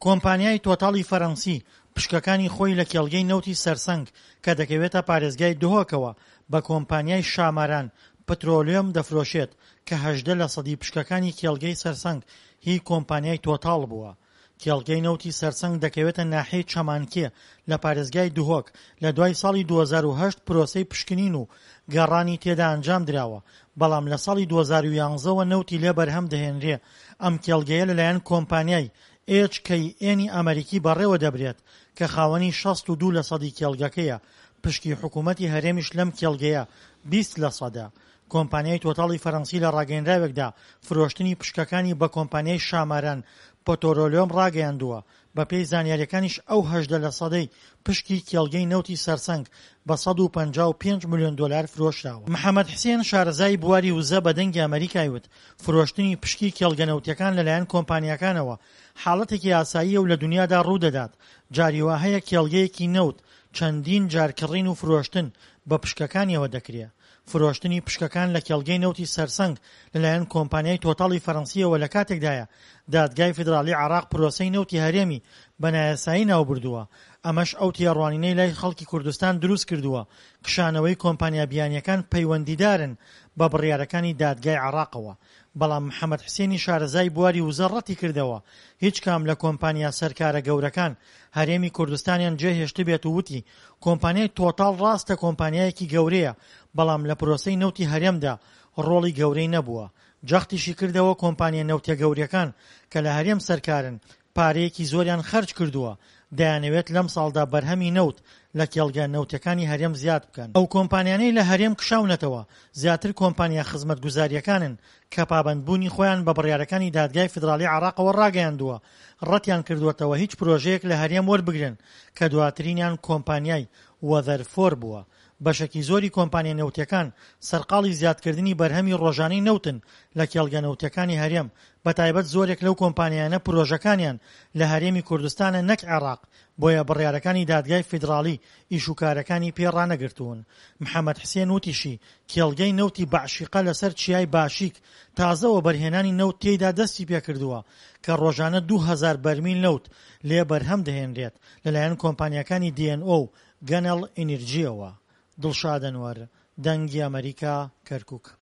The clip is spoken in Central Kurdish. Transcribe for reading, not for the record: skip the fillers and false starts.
کۆمپانیای تۆتاڵی فەرەنسی پشکەکانی خۆی لە کێڵگەی نەوتی سەرسەنگ کە دەکەوێتە پارێزگای دهۆکەوە بە کۆمپانیای شاماران پترۆلیۆم دەفرۆشێت کە 18 لەسەدی پشکەکانی کێڵگەی سەرسەنگ هی کۆمپانیای تۆتاڵ بووە. کێڵگەی نەوتی سەرسەنگ دەکەوێتە ناحیەی چەمانکێ لە پارێزگای دهۆک، لە دوای ساڵی 2008 پرۆسەی پشکنین و گەڕانی تێدا ئەنجام دراوە، بەڵام لە ساڵی 2011 وە نەوتی لێ بەرهەم دەهێنرێ، ئەم کێڵگەیە لەلایەن کۆمپانیای، HKN، ی ئەمەریکی بەڕێوە دەبرێت کە خاوەنی 62 لەسەدی کێڵگەکەیە، پشکی حکوومەتی هەرێمیش لەم کێڵگەیە 20 لەسەدە. کۆمپانیای تۆتاڵی فەرەنسی لە ڕاگەیەنراوێکدا فرۆشتنی پشکەکانی بە کۆمپانیای شاماران پتۆرۆلیۆم ڕاگەیاندووە، بەپێی زانیارییەکانیش ئەو 18 لەسەدەی پشکی کێڵگەی نەوتی سەرسەنگ بە 155 ملیۆن دۆلار فرۆشراوە. محەمەد حسێن شارەزای بواری وزە بە دەنگی ئەمەریکای وت، فرۆشتنی پشکی کێڵگە نەوتییەکان لەلایەن کۆمپانیاکانەوە حاڵەتێکی ئاساییە و لە دونیادا ڕوودەدات، جاری وا هەیە کێڵگەیەکی نەوت چەندین جار کڕین و فرۆشتن بە پشکەکانیەوە دەکرێ. فرۆشتنی پشکەکان لە کێڵگەی نەوتی سەرسەنگ لەلایەن کۆمپانیای تۆتاڵی فەرەنسییەوە لە کاتێکدایە دادگای فیدراڵی عێراق پرۆسەی نەوتی هەرێمی بە نایاسایی ناوبردووە، ئەمەش ئەو تێڕوانینەی لای خەڵکی کوردستان دروستکردووە کشانەوەی کۆمپانیا بیانییەکان پەیوەندیدارن بە بڕیارەکانی دادگای عێراقەوە. بەڵام محەمەد حسێنی شارەزای بواری وزە ڕەتیکردەوە هیچ کام لە کۆمپانیا سەرکارە گەورەکان هەرێمی کوردستانیان جێهێشتبێت و وتی کۆمپانیای تۆتاڵ ڕاستە کۆمپانیایەکی گەورەیە بەڵام لە پرۆسەی نەوتی هەرێمدا ڕۆڵی گەورەی نەبووە. جەختیشی کردەوە کۆمپانیا نەوتیە گەورەکان کە لە هەرێم سەرکارن پارەیەکی زۆریان خەرج کردووە، دەیانەوێت لەمساڵدا بەرهەمی نەوت لە کێڵگە نەوتیەکانی هەرێم زیاد بکەن. ئەو کۆمپانیانەی لە هەرێم کشاونەتەوە زیاتر کۆمپانیا خزمەتگوزارییەکانن کە پابەندبوونی خۆیان بە بڕیارەکانی دادگای فیدراڵی عێراقەوە ڕاگەیاندووە، ڕەتیان کردووەتەوە هیچ پرۆژەیەک لە هەرێم وەربگرن کە دواترینیان کۆمپانیای وەزەرفۆر بووە. بەشێکی زۆری کۆمپانیا نەوتیەکان سەرقاڵی زیادکردنی بەرهەمی ڕۆژانەی نەوتن لە کێڵگە نەوتیەکانی هەرێم، بەتایبەت زۆرێک لەو کۆمپانیایانە پرۆژەکانیان لە هەرێمی کوردستانە نەک عێراق، بۆیە بڕیارەکانی دادگای فیدراڵی ئیشوکارەکانی پێ ڕانەگرتوون. محەمەد حسێن وتیشی، کێڵگەی نەوتی بەعشیقە لەسەر چیای باشیک تازە وەبەرهێنانی نەوت تێیدا دەستی پێکردووە کە ڕۆژانە 2000 بەرمیل نەوت لێ بەرهەم دەهێنرێت لەلایەن کۆمپانیاکانی دی ئێن ئۆ و گەنەڵ ئینرجییەوە. دڵشاد ئەنوەر، دەنگی ئەمەریکا، کەرکوک.